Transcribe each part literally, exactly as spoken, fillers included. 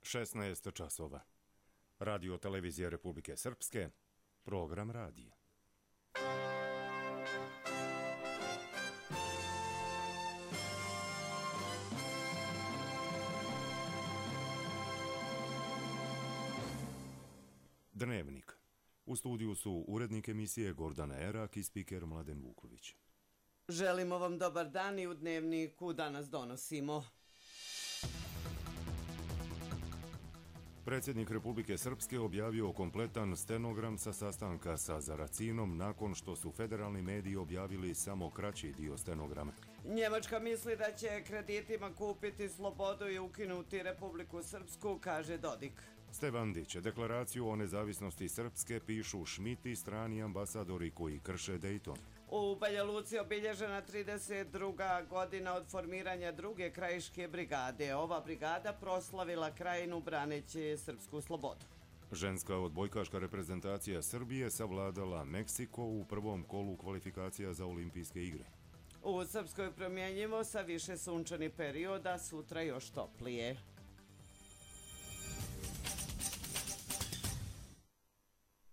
šesnaest časova. Radio televizija Republike Srpske, program radija. Dnevnik. U studiju su urednik emisije Gordana Erak i spiker Mladen Vuković. Želimo vam dobar dan i u Dnevniku danas donosimo. Predsjednik Republike Srpske objavio kompletan stenogram sa sastanka sa Zaracinom nakon što su federalni mediji objavili samo kraći dio stenograma. Njemačka misli da će kreditima kupiti slobodu i ukinuti Republiku Srpsku, kaže Dodik. Stevandić, deklaraciju o nezavisnosti Srpske pišu Šmit i strani ambasadori koji krše Dejton. U Banja Luci obilježena trideset druga godina od formiranja druge krajiške brigade. Ova brigada proslavila krajinu braneći srpsku slobodu. Ženska odbojkaška reprezentacija Srbije savladala Meksiko u prvom kolu kvalifikacija za olimpijske igre. U Srpskoj promjenjivo sa više sunčanih perioda, sutra još toplije.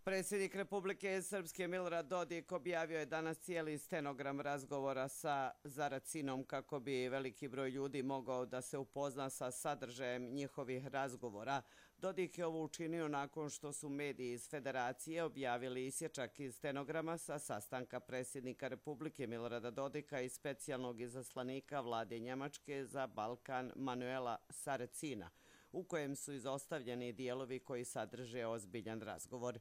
Predsjednik Republike Srpske Milorad Dodik objavio je danas cijeli stenogram razgovora sa Zaracinom kako bi veliki broj ljudi mogao da se upozna sa sadržajem njihovih razgovora. Dodik je ovo učinio nakon što su mediji iz Federacije objavili isječak iz stenograma sa sastanka predsjednika Republike Milorada Dodika i specijalnog izaslanika vlade Njemačke za Balkan Manuela Saracina, u kojem su izostavljeni dijelovi koji sadrže ozbiljan razgovor.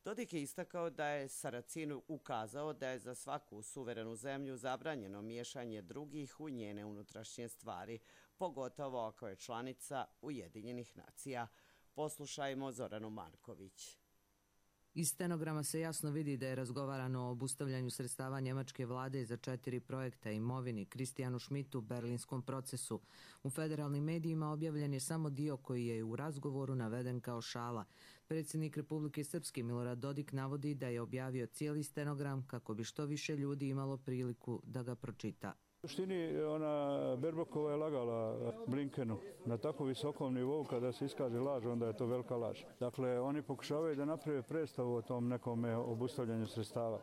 Dodik je istakao da je Saracinu ukazao da je za svaku suverenu zemlju zabranjeno miješanje drugih u njene unutrašnje stvari, pogotovo ako je članica Ujedinjenih nacija. Poslušajmo Zoranu Marković. Iz stenograma se jasno vidi da je razgovarano o obustavljanju sredstava njemačke vlade za četiri projekta imovini, Kristijanu Šmitu, berlinskom procesu. U federalnim medijima objavljen je samo dio koji je u razgovoru naveden kao šala. Predsjednik Republike Srpske Milorad Dodik navodi da je objavio cijeli stenogram kako bi što više ljudi imalo priliku da ga pročita. U suštini, ona Berbokova je lagala Blinkenu na tako visokom nivou, kada se iskaže laž, onda je to velika laž. Dakle, oni pokušavaju da naprave predstavu o tom nekom obustavljanju sredstava.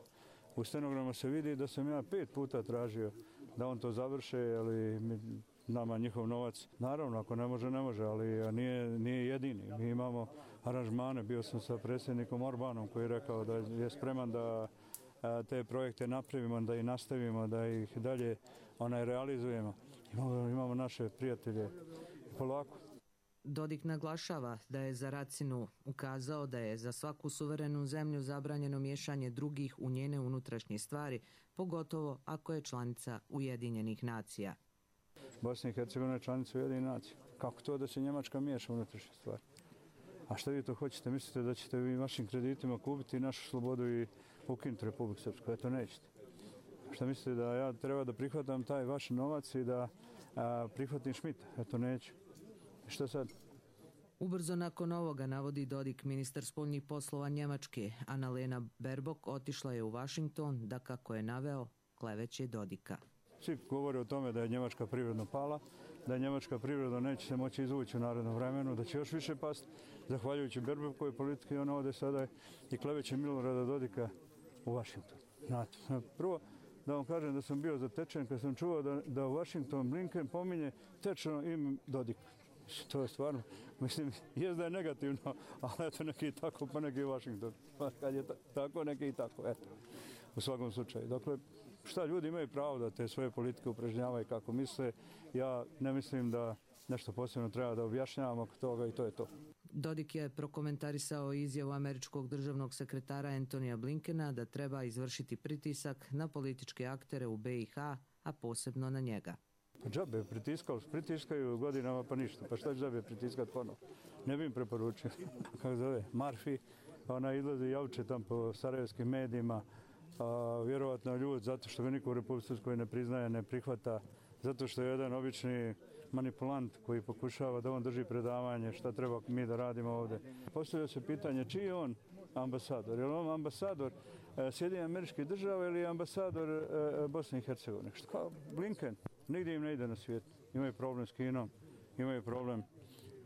U stenogramu se vidi da sam ja pet puta tražio da on to završe, ali nama njihov novac, naravno, ako ne može, ne može, ali nije, nije jedini. Mi imamo aranžmane, bio sam sa predsjednikom Orbanom koji je rekao da je spreman da te projekte napravimo, da ih nastavimo, da ih dalje onaj realizujemo. Imamo, imamo naše prijatelje polako. Dodik naglašava da je Zaracinu ukazao da je za svaku suverenu zemlju zabranjeno miješanje drugih u njene unutrašnje stvari, pogotovo ako je članica Ujedinjenih nacija. Bosna i Hercegovina je članica Ujedinjenih nacija. Kako to da se Njemačka miješa u unutrašnje stvari? A šta vi to hoćete? Mislite da ćete vi vašim kreditima kupiti našu slobodu i ukinuti Republiku Srpsku? Eto, nećete. Šta mislite da ja treba da prihvatam taj vaš novac i da a, prihvatim Šmita? Eto, neću. I šta sad? Ubrzo nakon ovoga, navodi Dodik, ministar spoljnih poslova Njemačke, Annalena Baerbock, otišla je u Vašington da, kako je naveo, kleveće Dodika. Svi govore o tome da je njemačka privredno pala, da je njemačka privredno neće se moći izvući u narednom vremenu, da će još više pasti, zahvaljujući Baerbockovoj politike, ona ovdje sada i kleveće Milorada Dodika u Vašington. Znate, prvo da vam kažem da sam bio zatečen kad sam čuo da, da u Vašington Blinken pominje tečno ime Dodika. To je stvarno, mislim, jest da je negativno, ali eto neki i tako, pa neki i Vašington. Pa kad je tako, neki i tako, eto, u svakom slučaju. Dakle, šta, ljudi imaju pravo da te svoje politike upražnjavaju kako misle. Ja ne mislim da nešto posebno treba da objašnjavamo oko toga i to je to. Dodik je prokomentarisao izjavu američkog državnog sekretara Antonija Blinkena da treba izvršiti pritisak na političke aktere u be i ha, a posebno na njega. Pa džabe, pritiskali, pritiskaju godinama pa ništa. Pa šta će džabe pritiskati ponovo? Ne bi im preporučio. Kako zove? Marfi, ona izlazi i javče tam po sarajevskim medijima. A, vjerovatno ljud zato što ga niko u Republici Srpskoj ne priznaje, ne prihvata, zato što je jedan obični manipulant koji pokušava da on drži predavanje šta treba mi da radimo ovdje. Postavlja se pitanje čiji je on ambasador? Je li on ambasador e, Sjedinjenih Američkih Država ili je ambasador e, Bosne i Hercegovine? Što? Blinken. Nigdje im ne ide na svijet. Imaju problem s Kinom, imaju problem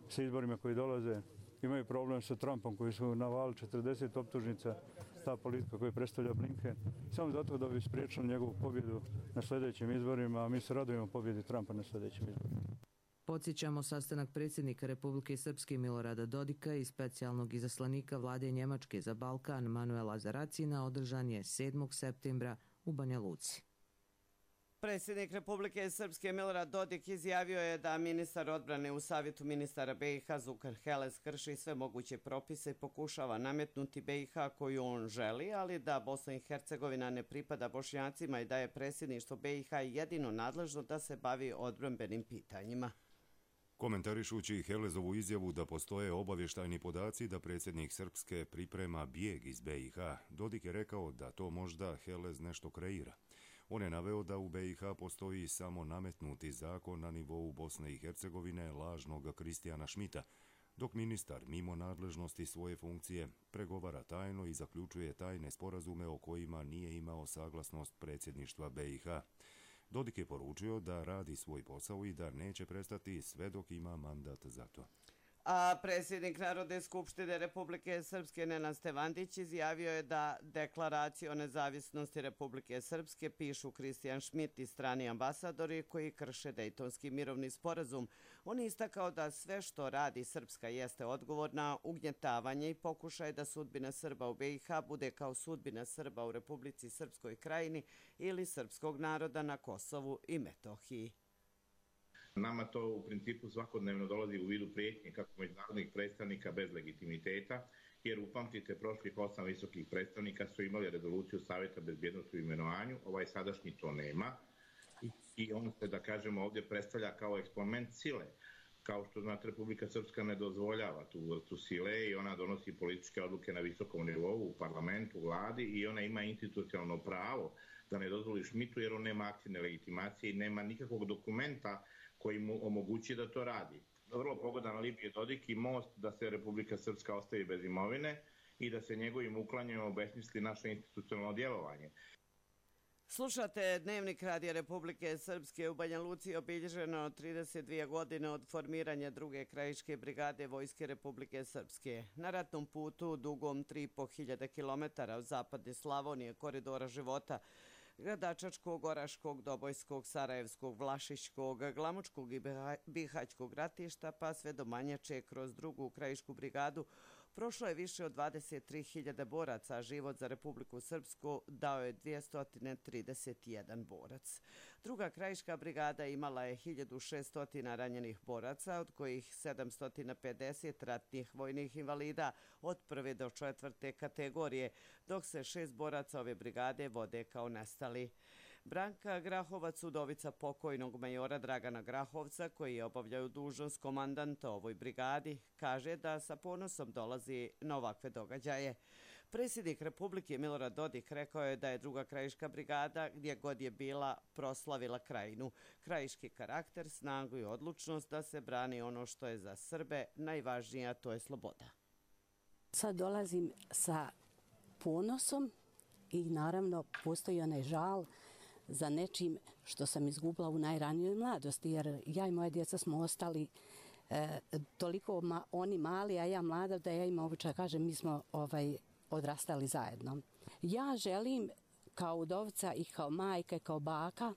sa izborima koji dolaze, imaju problem sa Trumpom koji su navali četrdeset optužnica, ta politika koju predstavlja Blinken, samo zato da bi spriječili njegovu pobjedu na sljedećim izborima, a mi se radujemo pobjedi Trumpa na sljedećim izborima. Podsjećamo, sastanak predsjednika Republike Srpske Milorada Dodika i specijalnog izaslanika vlade Njemačke za Balkan Manuela Zaracina održan je sedmog septembra u Banja Luci. Predsjednik Republike Srpske Milorad Dodik izjavio je da ministar odbrane u savjetu ministara B i H Zukan Heles krši sve moguće propise i pokušava nametnuti B i H koju on želi, ali da Bosna i Hercegovina ne pripada Bošnjacima i da je predsjedništvo B i H jedino nadležno da se bavi odbrambenim pitanjima. Komentarišući Helezovu izjavu da postoje obavještajni podaci da predsjednik Srpske priprema bijeg iz B i H, Dodik je rekao da to možda Helez nešto kreira. On je naveo da u B i H postoji samo nametnuti zakon na nivou Bosne i Hercegovine lažnog Kristijana Šmita, dok ministar mimo nadležnosti svoje funkcije pregovara tajno i zaključuje tajne sporazume o kojima nije imao saglasnost predsjedništva B i H. Dodik je poručio da radi svoj posao i da neće prestati sve dok ima mandat za to. A predsjednik Narodne skupštine Republike Srpske Nenad Stevandić izjavio je da deklaraciju o nezavisnosti Republike Srpske pišu Kristijan Šmit i strani ambasadori koji krše Dejtonski mirovni sporazum. On je istakao da sve što radi Srpska jeste odgovor na ugnjetavanje i pokušaj da sudbina Srba u B i H bude kao sudbina Srba u Republici Srpskoj Krajini ili srpskog naroda na Kosovu i Metohiji. Nama to u principu svakodnevno dolazi u vidu prijetnje kako međunarodnih predstavnika bez legitimiteta, jer upamtite, prošlih osam visokih predstavnika su imali rezoluciju Savjeta bezbjednosti u imenovanju, ovaj sadašnji to nema i on se, da kažemo, ovdje predstavlja kao eksponent sile. Kao što znate, Republika Srpska ne dozvoljava tu vrstu sile i ona donosi političke odluke na visokom nivou, u parlamentu, vladi i ona ima institucionalno pravo da ne dozvoli Šmitu jer on nema aktivne legitimacije i nema nikakvog dokumenta koji mu omogući da to radi. Vrlo pogodan alibi je Dodik i most da se Republika Srpska ostavi bez imovine i da se njegovim uklanjanjem obesmisli naše institucionalno djelovanje. Slušate Dnevnik Radija Republike Srpske. U Banja Luci obilježeno trideset dvije godine od formiranja druge krajiške brigade Vojske Republike Srpske. Na ratnom putu dugom tri i po hiljade kilometara od zapadne Slavonije, koridora života, Gradačačkog, Oraškog, Dobojskog, Sarajevskog, Vlašićkog, Glamočkog i Bihaćkog ratišta, pa sve do Manjače kroz drugu krajišku brigadu, prošlo je više od dvadeset tri hiljade boraca, a život za Republiku Srpsku dao je dvjesto trideset jedan borac. Druga krajiška brigada imala je hiljadu šesto ranjenih boraca, od kojih sedamsto pedeset ratnih vojnih invalida od prve do četvrte kategorije, dok se šest boraca ove brigade vode kao nestali. Branka Grahovac, udovica pokojnog majora Dragana Grahovca, koji je obavljao dužnost komandanta ovoj brigadi, kaže da sa ponosom dolazi na ovakve događaje. Predsjednik Republike Milorad Dodik rekao je da je druga krajiška brigada, gdje god je bila, proslavila krajinu. Krajiški karakter, snagu i odlučnost da se brani ono što je za Srbe najvažnije, a to je sloboda. Sad dolazim sa ponosom i naravno postoji onaj žal za nečim što sam izgubila u najranijoj mladosti, jer ja i moje djeca smo ostali e, toliko ma, oni mali, a ja mlada, da ja im običaj kažem, mi smo ovaj, odrastali zajedno. Ja želim kao udovca i kao majka i kao baka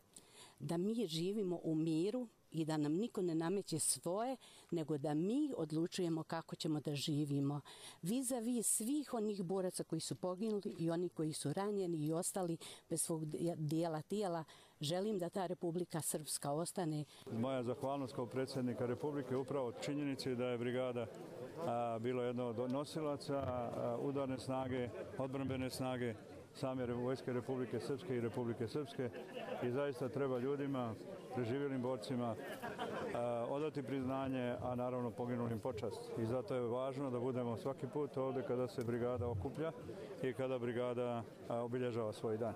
da mi živimo u miru i da nam niko ne nameće svoje, nego da mi odlučujemo kako ćemo da živimo. Vis-a-vis svih onih boraca koji su poginuli i oni koji su ranjeni i ostali bez svog dijela tijela, želim da ta Republika Srpska ostane. Moja zahvalnost kao predsjednika Republike upravo činjenici da je brigada a, bilo jedno od nosilaca a, udarne snage, odbrambene snage same Vojske Republike Srpske i Republike Srpske i zaista treba ljudima, preživjelim borcima, a, odati priznanje, a naravno poginulim počast. I zato je važno da budemo svaki put ovdje kada se brigada okuplja i kada brigada a, obilježava svoj dan.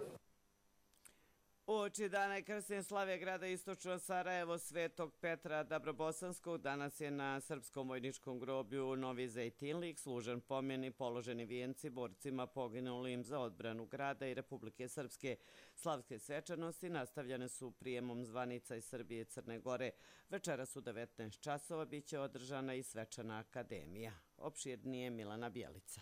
Uoči dana krsne slave grada Istočno Sarajevo Svetog Petra Dabrobosanskog danas je na Srpskom vojničkom groblju Novi Zejtinlik služen pomen i položeni vijenci borcima poginulim za odbranu grada i Republike Srpske. Slavske svečanosti nastavljene su prijemom zvanica iz Srbije i Crne Gore. Večeras u devetnaest časova biće održana i svečana akademija. Opširnije Milana Bjelica.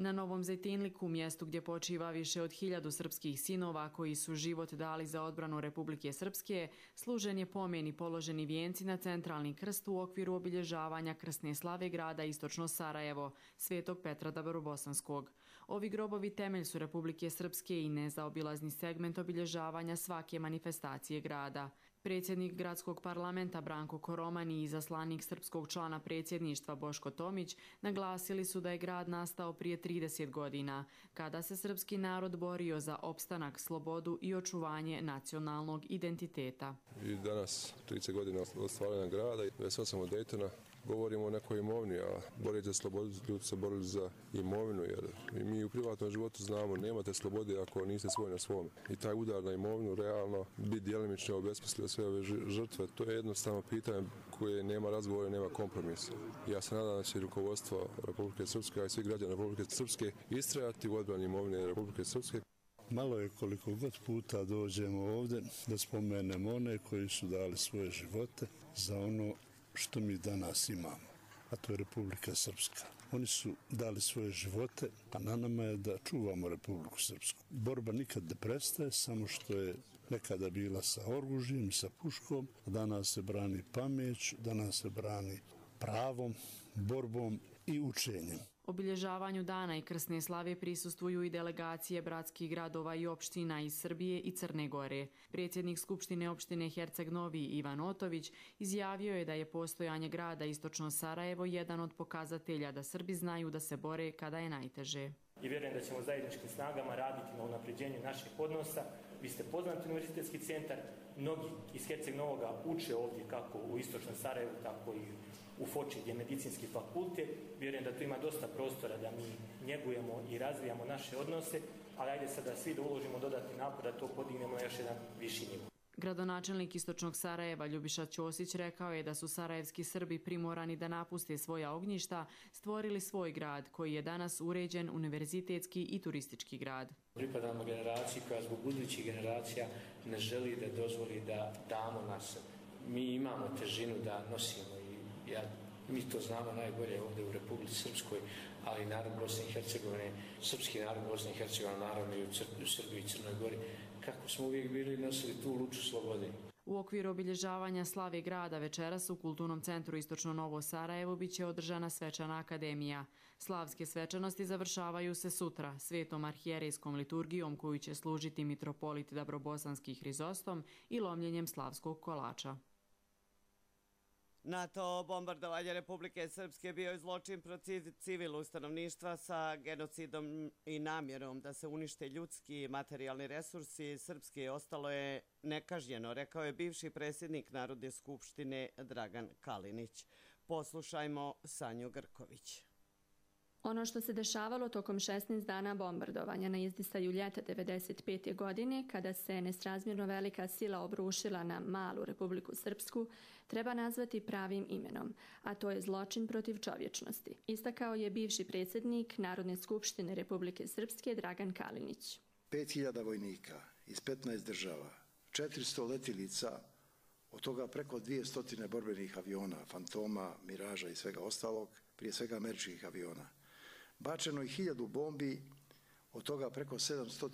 Na Novom Zejtinliku, mjestu gdje počiva više od hiljadu srpskih sinova koji su život dali za odbranu Republike Srpske, služen je pomen i položeni vijenci na centralni krst u okviru obilježavanja krsne slave grada Istočno Sarajevo, Svetog Petra Dabrobosanskog. Ovi grobovi temelj su Republike Srpske i nezaobilazni segment obilježavanja svake manifestacije grada. Predsjednik gradskog parlamenta Branko Koroman i izaslanik srpskog člana predsjedništva Boško Tomić naglasili su da je grad nastao prije trideset godina, kada se srpski narod borio za opstanak, slobodu i očuvanje nacionalnog identiteta. I danas, trideset godina od stvaranja grada, devedeset osam od Daytona, govorimo o nekoj imovini, a boriti za slobodu, ljudi se borili za imovinu, jer mi u privatnom životu znamo, nemate slobode ako niste svoj na svome. I taj udar na imovinu realno bi djelimično obesmislio sve ove žrtve. To je jednostavno pitanje koje nema razgovora, nema kompromisa. Ja se nadam da će rukovodstvo Republike Srpske, a i svi građani Republike Srpske istrajati u odbrani imovine Republike Srpske. Malo je koliko god puta dođemo ovdje da spomenemo one koji su dali svoje živote za ono što mi danas imamo, a to je Republika Srpska. Oni su dali svoje živote, a na nama je da čuvamo Republiku Srpsku. Borba nikad ne prestaje, samo što je nekada bila sa oružjem i sa puškom, a danas se brani pamet, danas se brani pravom, borbom i učenjem. Obilježavanju dana i krsne slave prisustvuju i delegacije bratskih gradova i opština iz Srbije i Crne Gore. Predsjednik Skupštine opštine Herceg Novi Ivan Otović izjavio je da je postojanje grada Istočno Sarajevo jedan od pokazatelja da Srbi znaju da se bore kada je najteže. I vjerujem da ćemo zajedničkim snagama raditi na unapređenju naših odnosa. Vi ste poznati univerzitetski centar, mnogi iz Herceg Novoga uče ovdje kako u Istočnom Sarajevu, tako i u Foči gdje je medicinski fakultet. Vjerujem da tu ima dosta prostora da mi njegujemo i razvijamo naše odnose, ali ajde sad da svi da uložimo dodatni napor da to podignemo na još jedan viši nivo. Gradonačelnik Istočnog Sarajeva Ljubiša Ćosić rekao je da su sarajevski Srbi primorani da napuste svoja ognjišta, stvorili svoj grad koji je danas uređen univerzitetski i turistički grad. Pripadamo generaciji koja zbog budućih generacija ne želi da dozvoli da damo nas. Mi imamo težinu da nosimo i ja, mi to znamo najbolje ovdje u Republici Srpskoj, ali i narod Bosne i Hercegovine, srpski narod Bosne i Hercegovine, naravno i u Srbiji i Crnoj Gori, kako smo uvijek bili nosili tu luču slobode. U okviru obilježavanja slave grada večeras u Kulturnom centru Istočno Novo Sarajevo biće održana svečana akademija. Slavske svečanosti završavaju se sutra svetom arhijerejskom liturgijom koju će služiti mitropolit Dabrobosanski Hrizostom i lomljenjem slavskog kolača. NATO bombardovanje Republike Srpske bio je zločin protiv civilnog stanovništva sa genocidom i namjerom da se unište ljudski i materijalni resursi Srpske ostalo je nekažnjeno, rekao je bivši predsjednik Narodne skupštine Dragan Kalinić. Poslušajmo Sanju Grković. Ono što se dešavalo tokom šesnaest dana bombardovanja na izdisaju ljeta devedeset pete. godine, kada se nesrazmjerno velika sila obrušila na malu Republiku Srpsku, treba nazvati pravim imenom, a to je zločin protiv čovječnosti, istakao je bivši predsjednik Narodne skupštine Republike Srpske Dragan Kalinić. pet hiljada vojnika iz petnaest država, četiristo letilica, od toga preko dvjesto borbenih aviona, Fantoma, Miraža i svega ostalog, prije svega američkih aviona. Bačeno je hiljadu bombi, od toga preko sedamsto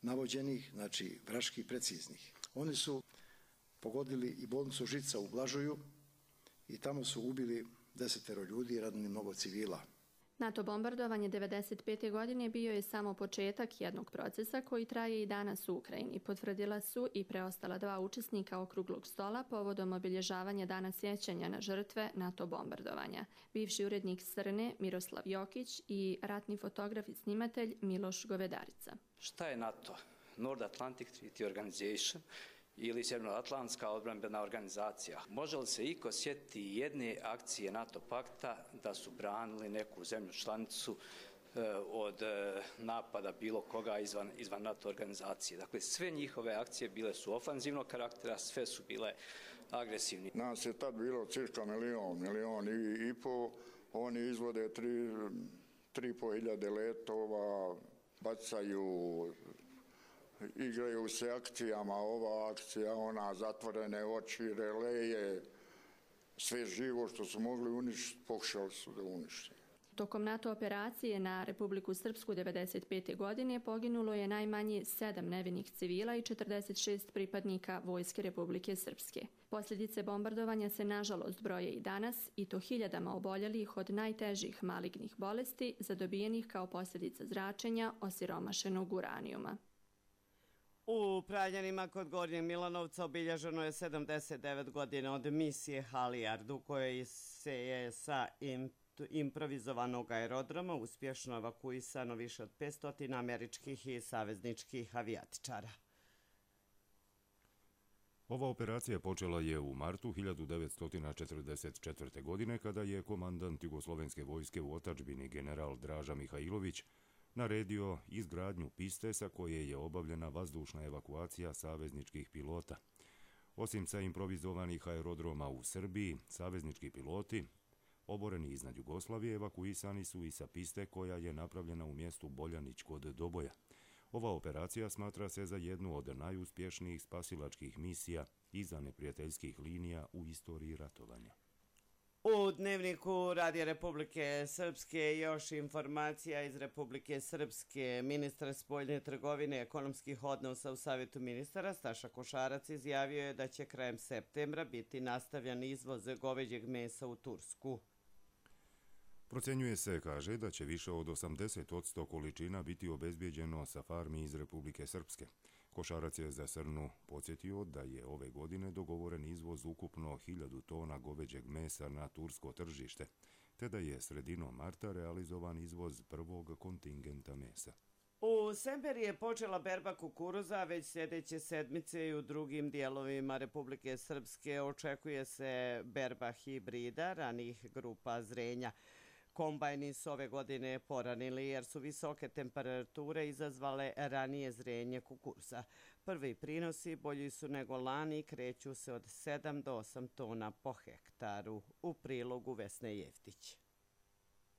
navođenih, znači vraških preciznih. Oni su pogodili i bolnicu Žica u Blažuju i tamo su ubili desetero ljudi i ranili mnogo civila. NATO bombardovanje devedeset pete. godine bio je samo početak jednog procesa koji traje i danas u Ukrajini. Potvrdila su i preostala dva učesnika okruglog stola povodom obilježavanja dana sjećanja na žrtve NATO bombardovanja. Bivši urednik Srne Miroslav Jokić i ratni fotograf i snimatelj Miloš Govedarica. Šta je NATO? North Atlantic Treaty Organization ili Sjevernoatlantska odbrambena organizacija. Može li se iko sjetiti jedne akcije NATO pakta da su branili neku zemlju članicu od napada bilo koga izvan, izvan NATO organizacije. Dakle, sve njihove akcije bile su ofanzivnog karaktera, sve su bile agresivni. Nas je tad bilo cirka milion, milion i, i po, oni izvode tri, tri po hiljade letova, bacaju, igraju se akcijama, ova akcija, ona, zatvorene oči, releje, sve živo što su mogli uništiti, pokušali su da unište. Tokom NATO operacije na Republiku Srpsku devedeset pete. godine poginulo je najmanje sedam nevinih civila i četrdeset šest pripadnika Vojske Republike Srpske. Posljedice bombardovanja se nažalost broje i danas, i to hiljadama oboljelih od najtežih malignih bolesti zadobijenih kao posljedica zračenja osiromašenog uranijuma. U Pravljanima kod Gornjeg Milanovca obilježeno je sedamdeset devet godina od misije Halijard, u kojoj se je sa im improvizovanog aerodroma uspješno evakuisano više od petsto američkih i savezničkih avijatičara. Ova operacija počela je u martu hiljadu devetsto četrdeset četvrte. godine kada je komandant Jugoslovenske vojske u otadžbini general Draža Mihajlović naredio izgradnju piste sa koje je obavljena vazdušna evakuacija savezničkih pilota. Osim sa improvizovanih aerodroma u Srbiji, saveznički piloti oboreni iznad Jugoslavije evakuisani su i sa piste koja je napravljena u mjestu Boljanić kod Doboja. Ova operacija smatra se za jednu od najuspješnijih spasilačkih misija iza neprijateljskih linija u istoriji ratovanja. U Dnevniku Radija Republike Srpske još informacija iz Republike Srpske. Ministar spoljne trgovine i ekonomskih odnosa u Savjetu ministara Staša Košarac izjavio je da će krajem septembra biti nastavljan izvoz goveđeg mesa u Tursku. Procenjuje se, kaže, da će više od osamdeset posto količina biti obezbijeđeno sa farmi iz Republike Srpske. Košarac je za Srnu podsjetio da je ove godine dogovoren izvoz ukupno hiljadu tona goveđeg mesa na tursko tržište, te da je sredinom marta realizovan izvoz prvog kontingenta mesa. U Semperiji je počela berba kukuruza, već sljedeće sedmice i u drugim dijelovima Republike Srpske očekuje se berba hibrida ranih grupa zrenja. Kombajni su ove godine poranili jer su visoke temperature izazvale ranije zrenje kukuruza. Prvi prinosi bolji su nego lani i kreću se od sedam do osam tona po hektaru. U prilogu Vesne Jeftić.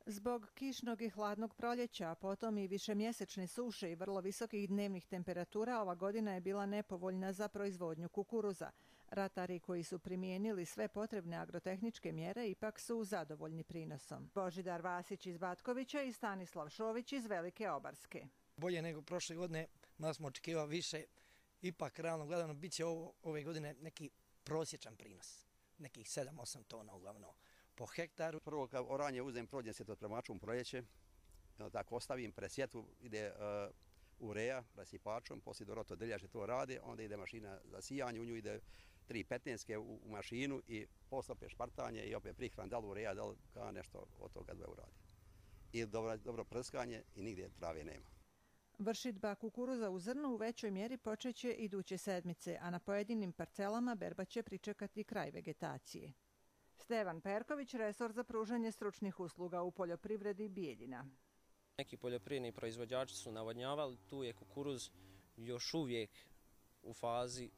Zbog kišnog i hladnog proljeća, a potom i višemjesečne suše i vrlo visokih dnevnih temperatura, ova godina je bila nepovoljna za proizvodnju kukuruza. Ratari koji su primijenili sve potrebne agrotehničke mjere ipak su zadovoljni prinosom. Božidar Vasić iz Batkovića i Stanislav Šović iz Velike Obarske. Bolje nego prošle godine, malo smo očekivali više, ipak realno gledano bit će ovo, ove godine neki prosječan prinos, nekih sedam osam tona uglavnom po hektaru. Prvo kad oranje uzem, prođem se to premačom proljeće, tako ostavim, presjetu, ide uh, ureja, rasipačom, poslije Doroto Deljače to rade, onda ide mašina za sijanje, u nju ide tri petnaestke u, u mašinu i posle opet špartanje i opet prihran, da li ureja, da li kao nešto od toga dve uradi. I dobro, dobro prskanje i nigdje trave nema. Vršidba kukuruza u zrnu u većoj mjeri počeće iduće sedmice, a na pojedinim parcelama berba će pričekati kraj vegetacije. Stevan Perković, resor za pružanje stručnih usluga u poljoprivredi Bijeljina. Neki poljoprivredni proizvođači su navodnjavali, tu je kukuruz još uvijek u fazi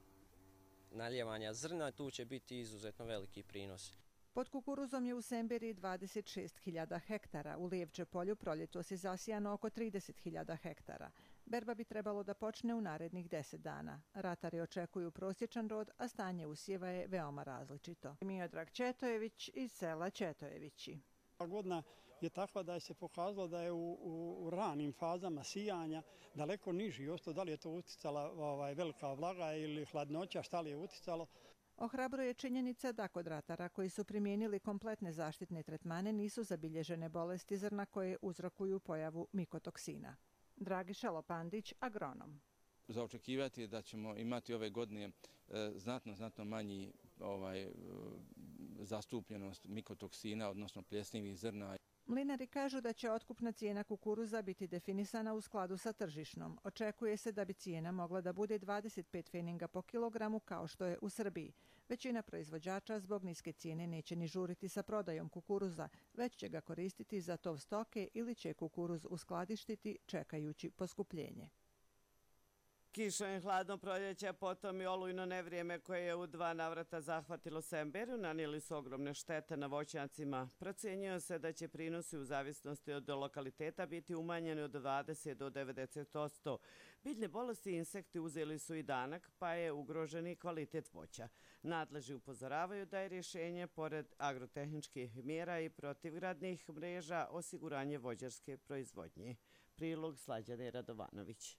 naljevanja zrna, tu će biti izuzetno veliki prinos. Pod kukuruzom je u Semberiji dvadeset šest hiljada hektara, u Lijevče polju proljetos je zasijano oko trideset hiljada hektara. Berba bi trebalo da počne u narednih deset dana. Ratari očekuju prosječan rod, a stanje usjeva je veoma različito. Miodrag Četojević iz sela Četojevići. Godina je takva da je se pokazalo da je u, u, u ranim fazama sijanja daleko niži. Osto da li je to uticala ovaj, velika vlaga ili hladnoća, šta li je uticalo. Ohrabruje činjenica da kod ratara koji su primijenili kompletne zaštitne tretmane nisu zabilježene bolesti zrna koje uzrokuju pojavu mikotoksina. Dragiša Lopandić, agronom. Za očekivati je da ćemo imati ove godine e, znatno, znatno manji ovaj, e, zastupljenost mikotoksina, odnosno pljesnivih zrna. Mlinari kažu da će otkupna cijena kukuruza biti definisana u skladu sa tržišnom. Očekuje se da bi cijena mogla da bude dvadeset pet feninga po kilogramu kao što je u Srbiji. Većina proizvođača zbog niske cijene neće ni žuriti sa prodajom kukuruza, već će ga koristiti za tov stoke ili će kukuruz uskladištiti čekajući poskupljenje. Kiša i hladno proljeće, potom i olujno nevrijeme koje je u dva navrata zahvatilo Semberu, nanijeli su ogromne štete na voćnjacima. Procjenjuje se da će prinosi u zavisnosti od lokaliteta biti umanjeni od dvadeset do devedeset posto. Biljne bolesti i insekti uzeli su i danak, pa je ugrožen i kvalitet voća. Nadležni upozoravaju da je rješenje, pored agrotehničkih mjera i protivgradnih mreža, osiguranje voćarske proizvodnje. Prilog Slađane Radovanović.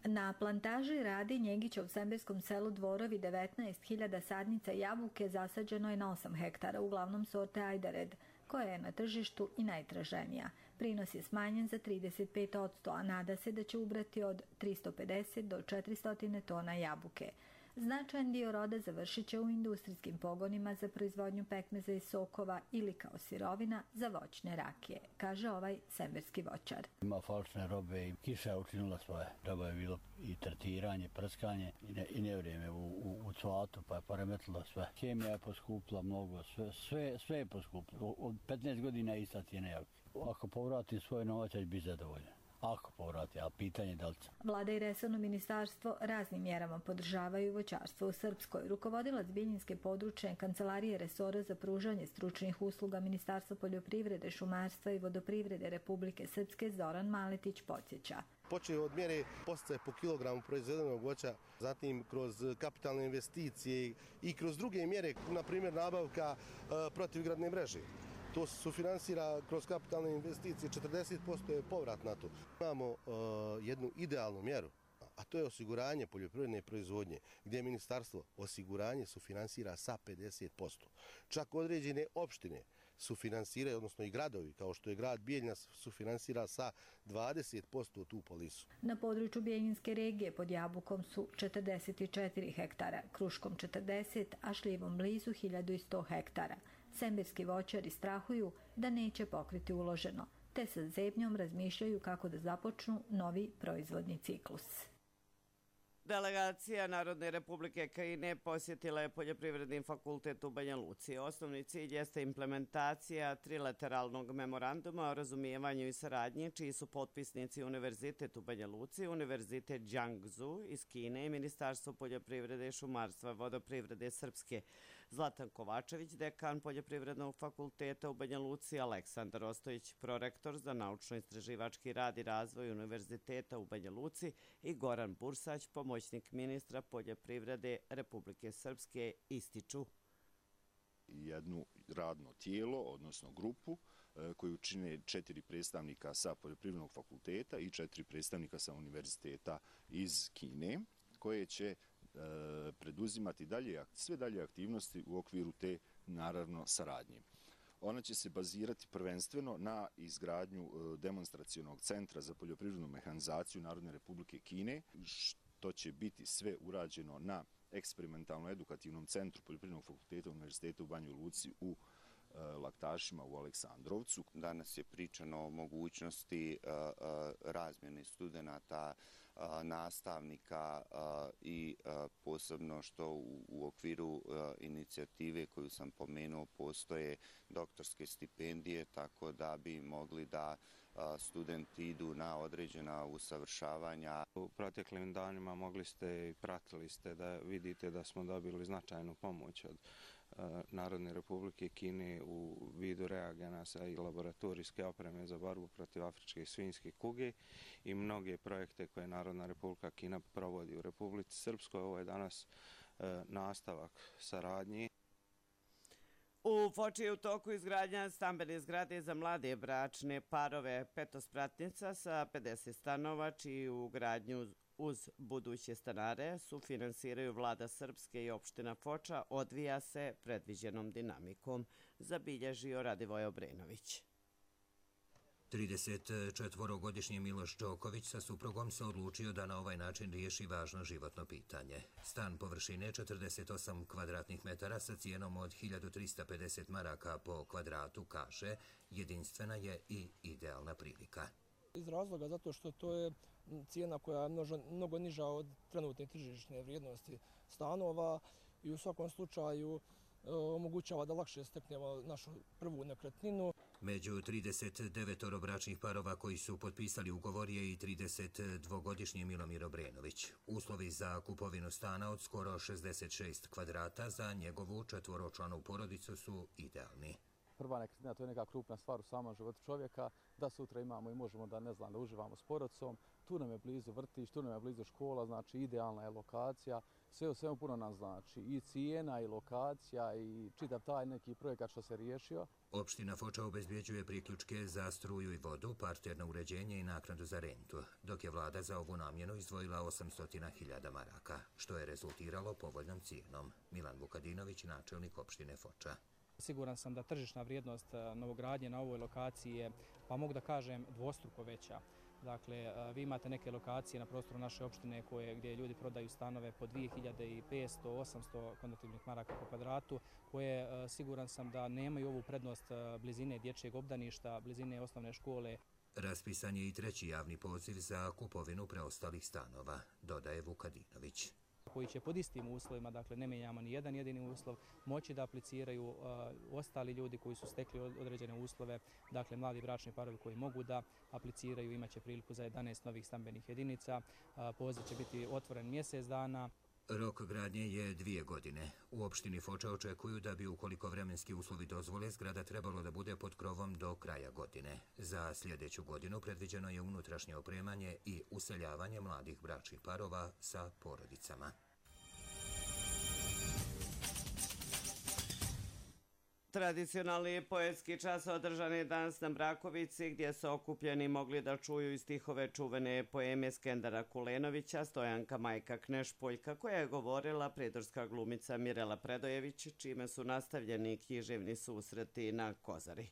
Na plantaži Radi Njegića u semberskom selu Dvorovi devetnaest hiljada sadnica jabuke zasađeno je na osam hektara, uglavnom sorte Ajdared, koja je na tržištu i najtraženija. Prinos je smanjen za trideset pet posto, a nada se da će ubrati od tristo pedeset do četiristo tona jabuke. Značajan dio roda završit će u industrijskim pogonima za proizvodnju pekmeza i sokova ili kao sirovina za voćne rakije, kaže ovaj semberski voćar. Ima falšne robe i kiša je učinila svoje. Treba je bilo i tretiranje, prskanje i, ne, i nevrijeme u, u, u cvatu, pa je poremetilo sve. Kemija je poskupila mnogo, sve, sve, sve je poskupilo. Od petnaest godina je ista cijena jabuke. Ako povratim svoj novac, će biti zadovoljan. Ako povrati, a pitanje da li će. Vlada i resorno ministarstvo raznim mjerama podržavaju voćarstvo u Srpskoj. Rukovodilac Biljinske područne kancelarije resora za pružanje stručnih usluga Ministarstva poljoprivrede, šumarstva i vodoprivrede Republike Srpske Zoran Maletić podsjeća. Počeo od mjere podsticaja po kilogramu proizvedenog voća, zatim kroz kapitalne investicije i kroz druge mjere, na primjer nabavka e, protivgradne mreže. To se sufinansira kroz kapitalne investicije, četrdeset posto je povrat na to. Imamo uh, jednu idealnu mjeru, a to je osiguranje poljoprivredne proizvodnje, gdje ministarstvo osiguranje sufinansira sa pedeset posto. Čak određene opštine sufinansiraju, odnosno i gradovi, kao što je grad Bijeljina, sufinansira sa dvadeset posto tu polisu. Na području Bijeljinske regije pod jabukom su četrdeset četiri hektara, kruškom četrdeset, a šljivom blizu hiljadu sto hektara. Semberski voćari strahuju da neće pokriti uloženo, te sa zebnjom razmišljaju kako da započnu novi proizvodni ciklus. Delegacija Narodne republike Kine posjetila je Poljoprivredni fakultet u Banja Luci. Osnovni cilj jeste implementacija trilateralnog memoranduma o razumijevanju i saradnji, čiji su potpisnici Univerzitet u Banja Luci, Univerzitet Jiangsu iz Kine i Ministarstvo poljoprivrede, šumarstva, vodoprivrede Srpske. Zlatan Kovačević, dekan Poljoprivrednog fakulteta u Banja Luci, Aleksandar Ostojić, prorektor za naučno-istraživački rad i razvoj Univerziteta u Banja Luci i Goran Bursać, pomoćnik ministra poljoprivrede Republike Srpske, ističu. Jedno radno tijelo, odnosno grupu, koju čine četiri predstavnika sa Poljoprivrednog fakulteta i četiri predstavnika sa Univerziteta iz Kine, koje će preduzimati dalje, sve dalje aktivnosti u okviru te, naravno, saradnje. Ona će se bazirati prvenstveno na izgradnju demonstracionog centra za poljoprivrednu mehanizaciju Narodne republike Kine, što će biti sve urađeno na eksperimentalno-edukativnom centru Poljoprivrednog fakulteta Univerziteta u Banjoj Luci u Laktašima u Aleksandrovcu. Danas je pričano o mogućnosti razmjene studenata, nastavnika i posebno što u okviru inicijative koju sam pomenuo postoje doktorske stipendije, tako da bi mogli da studenti idu na određena usavršavanja. U proteklim danima mogli ste i pratili ste da vidite da smo dobili značajnu pomoć od Narodne republike Kine u vidu reagenasa i laboratorijske opreme za borbu protiv afričke svinjske kuge i mnoge projekte koje Narodna republika Kina provodi u Republici Srpskoj. Ovo je danas nastavak saradnje. U Foči je u toku izgradnja stambene zgrade za mlade bračne parove Petospratnica sa pedeset stanova, čiju gradnju uz buduće stanare sufinansiraju vlada Srpske i opština Foča, odvija se predviđenom dinamikom, zabilježio Radivoj Obrenović. tridesetčetvorogodišnji Miloš Đoković sa suprugom se odlučio da na ovaj način riješi važno životno pitanje. Stan površine četrdeset osam kvadratnih metara sa cijenom od hiljadu trista pedeset maraka po kvadratu, kaže, jedinstvena je i idealna prilika. Iz razloga zato što to je cijena koja je mnogo niža od trenutne tržišne vrijednosti stanova. i u svakom slučaju omogućava da lakše steknemo našu prvu nekretninu. Među trideset devet bračnih parova koji su potpisali ugovor je i tridesetdvogodišnji Milomir Obrenović. Uslovi za kupovinu stana od skoro šezdeset šest kvadrata za njegovu četvoročlanu porodicu su idealni. Prva nekretnina, to je neka krupna stvar u samom životu čovjeka, da sutra imamo i možemo da ne znam da uživamo s porodicom. Tu nam je blizu vrtić, tu nam je blizu škola, znači idealna je lokacija. Sve u svemu puno nam znači i cijena i lokacija i čitav taj neki projekat što se riješio. Opština Foča obezbjeđuje priključke za struju i vodu, parterno uređenje i naknadu za rentu, dok je vlada za ovu namjenu izdvojila osamsto hiljada maraka, što je rezultiralo povoljnom cijenom. Milan Vukadinović, načelnik opštine Foča. Siguran sam da tržišna vrijednost novogradnje na ovoj lokaciji je, pa mogu da kažem, dvostruko veća. Dakle, vi imate neke lokacije na prostoru naše opštine koje, gdje ljudi prodaju stanove po dvije hiljade petsto do osamsto konvertibilnih maraka po kvadratu, koje siguran sam da nemaju ovu prednost blizine dječjeg obdaništa, blizine osnovne škole. Raspisan je i treći javni poziv za kupovinu preostalih stanova, dodaje Vukadinović. Koji će pod istim uslovima, dakle ne mijenjamo ni jedan jedini uslov, moći da apliciraju uh, ostali ljudi koji su stekli određene uslove, dakle mladi bračni parovi koji mogu da apliciraju, imaće priliku za jedanaest novih stambenih jedinica. Uh, poziv će biti otvoren mjesec dana. Rok gradnje je dvije godine. U opštini Foča očekuju da bi, ukoliko vremenski uslovi dozvole, zgrada trebalo da bude pod krovom do kraja godine. Za sljedeću godinu predviđeno je unutrašnje opremanje i useljavanje mladih bračnih parova sa porodicama. Tradicionalni poetski čas održan je danas na Brakovici, gdje su okupljeni mogli da čuju i stihove čuvene poeme Skendera Kulenovića, Stojanka Majka Knešpoljka, koja je govorila pridorska glumica Mirela Predojević, čime su nastavljeni književni susreti na Kozari.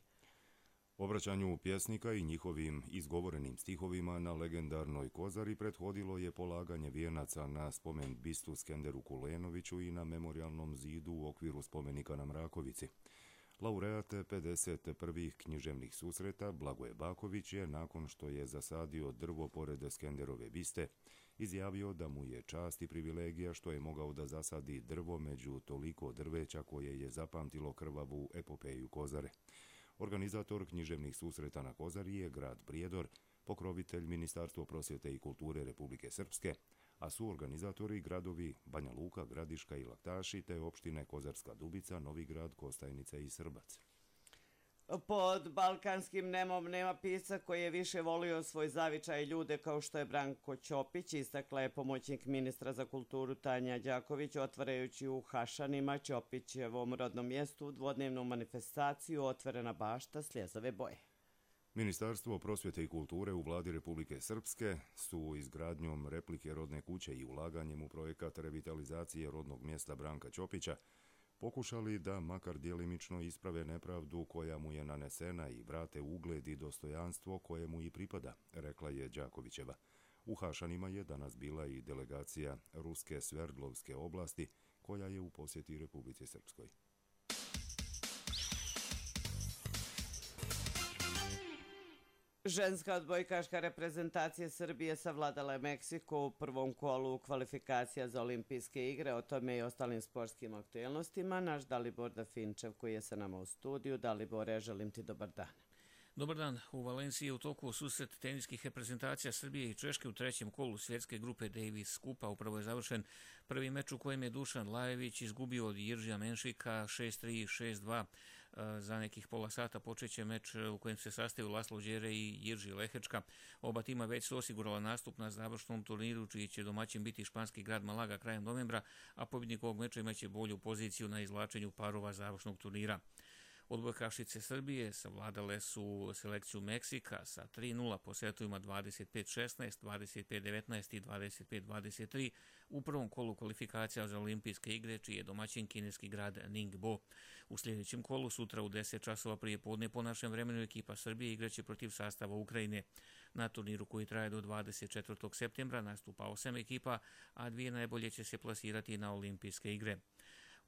Obraćanju pjesnika i njihovim izgovorenim stihovima na legendarnoj Kozari prethodilo je polaganje vijenaca na spomen bistu Skenderu Kulenoviću i na memorialnom zidu u okviru spomenika na Mrakovici. Laureat pedeset prvih književnih susreta Blagoje Baković je, nakon što je zasadio drvo pored Skenderove biste, izjavio da mu je čast i privilegija što je mogao da zasadi drvo među toliko drveća koje je zapamtilo krvavu epopeju Kozare. Organizator književnih susreta na Kozari je grad Prijedor, pokrovitelj Ministarstvo prosvjete i kulture Republike Srpske, a su organizatori gradovi Banja Luka, Gradiška i Laktaši te opštine Kozarska Dubica, Novigrad, Kostajnica i Srbac. Pod balkanskim nemom nema pisca koji je više volio svoj zavičaj ljude kao što je Branko Ćopić, istakla je pomoćnik ministra za kulturu Tanja Đaković, otvarajući u Hašanima, Ćopićevom rodnom mjestu, dvodnevnu manifestaciju Otvorena bašta sljezove boje. Ministarstvo prosvjete i kulture u vladi Republike Srpske su izgradnjom replike rodne kuće i ulaganjem u projekat revitalizacije rodnog mjesta Branka Ćopića pokušali da makar djelimično isprave nepravdu koja mu je nanesena i vrate ugled i dostojanstvo koje mu i pripada, rekla je Đakovićeva. U Hašanima je danas bila i delegacija Ruske Sverdlovske oblasti koja je u posjeti Republici Srpskoj. Ženska odbojkaška reprezentacija Srbije savladala je Meksiko u prvom kolu kvalifikacija za olimpijske igre. O tome i ostalim sportskim aktuelnostima. Naš Dalibor Dafinčev koji je sa nama u studiju. Dalibore, želim ti dobar dan. Dobar dan. U Valenciji je u toku susret teniskih reprezentacija Srbije i Češke u trećem kolu svjetske grupe Davis Kupa. Upravo je završen prvi meč u kojem je Dušan Lajević izgubio od Jiržija Menšika šest tri šest dva. Za nekih pola sata počeće meč u kojem se sastaju Laslo Đere i Jirži Lehečka. Oba tima već su osigurala nastup na završnom turniru, čiji će domaćin biti španski grad Malaga krajem novembra, a pobjednik ovog meča imaće bolju poziciju na izvlačenju parova završnog turnira. Odbojkašice Srbije savladale su selekciju Meksika sa tri nula po setovima dvadeset pet šesnaest, dvadeset pet devetnaest i dvadeset pet dvadeset tri u prvom kolu kvalifikacija za olimpijske igre, čiji je domaćin kineski grad Ningbo. U sljedećem kolu sutra u deset časova prije podne po našem vremenu ekipa Srbije igraće protiv sastava Ukrajine. Na turniru koji traje do dvadeset četvrtog septembra nastupa osam ekipa, a dvije najbolje će se plasirati na olimpijske igre.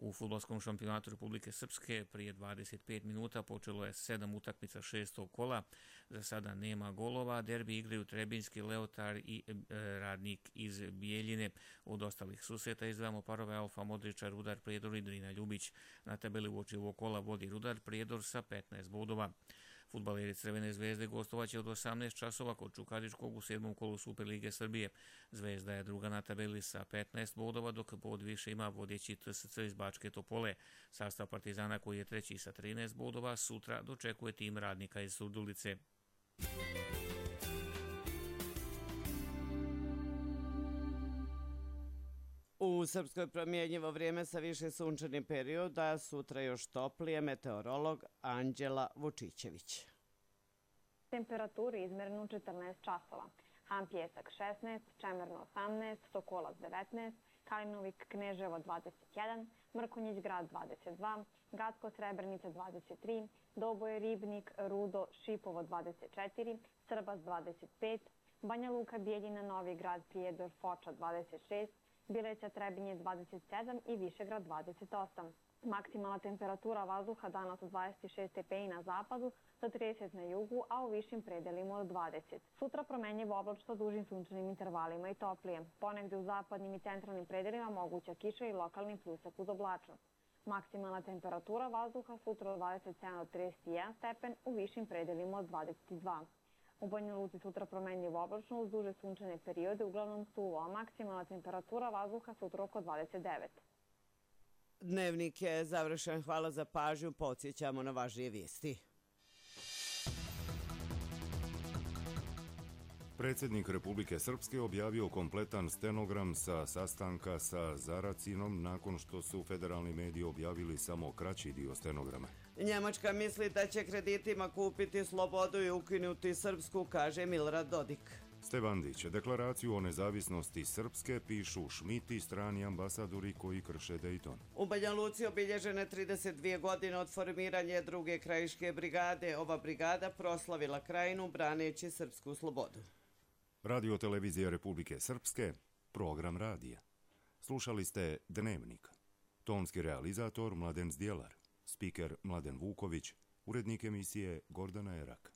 U fudbalskom šampionatu Republike Srpske prije dvadeset pet minuta počelo je sedam utakmica šestog kola. Za sada nema golova. Derbi igraju Trebinjski Leotar i e, Radnik iz Bijeljine. Od ostalih susreta izdvajamo parove Alfa Modrića, Rudar Prijedor i Drina Ljubić. Na tabeli uoči ovog kola vodi Rudar Prijedor sa petnaest bodova. Fudbaleri Crvene zvezde gostovaće od osamnaest časova kod Čukaričkog u sedmom kolu Superlige Srbije. Zvezda je druga na tabeli sa petnaest bodova, dok bod više ima vodeći T S C iz Bačke Topole. Sastav Partizana, koji je treći sa trinaest bodova, sutra dočekuje tim Radnika iz Surdulice. U Srpskoj promjenjivo vrijeme sa više sunčanih perioda, sutra još toplije, meteorolog Anđela Vučićević. Temperaturi izmerenu četrnaest časova. Han Pjesak šesnaest, Čemerno osamnaest, Sokolac devetnaest, Kalinovik Kneževo dvadeset jedan, Mrkonjić grad dvadeset dva, Gacko Srebrenica dvadeset tri, Doboje Ribnik, Rudo, Šipovo dvadeset četiri, Srbas dvadeset pet, Banja Luka Bijeljina, Novi grad, Prijedor, Foča dvadeset šest, Bileća Trebinje dvadeset sedam i Višegrad dvadeset osam. Maksimalna temperatura vazduha danas od dvadeset šest stepeni na zapadu do trideset na jugu, a u višim predelima od dvadeset. Sutra promenljivo oblačno dužim sunčanim intervalima i toplije. Ponegde u zapadnim i centralnim predelima moguća kiša i lokalni pljusak uz oblačnost. Maksimalna temperatura vazduha sutra od dvadeset sedam do trideset jedan stepen, u višim predelima od dvadeset dva. U Banja Luci sutra promenljivo oblačno uz duže sunčane periode, uglavnom suvo, a maksimalna temperatura vazduha sutra oko dvadeset devet. Dnevnik je završen. Hvala za pažnju. Podsjećamo na važnije vijesti. Predsjednik Republike Srpske objavio kompletan stenogram sa sastanka sa Zaracinom nakon što su federalni mediji objavili samo kraći dio stenograma. Njemačka misli da će kreditima kupiti slobodu i ukinuti Srpsku, kaže Milorad Dodik. Stevandić, deklaraciju o nezavisnosti Srpske pišu Šmit i strani ambasadori koji krše Dejton. U Banja Luci obilježene trideset dvije godine od formiranja druge krajiške brigade. Ova brigada proslavila krajinu braneći srpsku slobodu. Radio televizija Republike Srpske, program radija. Slušali ste Dnevnik. Tonski realizator Mladen Zdjelar, spiker Mladen Vuković, urednik emisije Gordana Erak.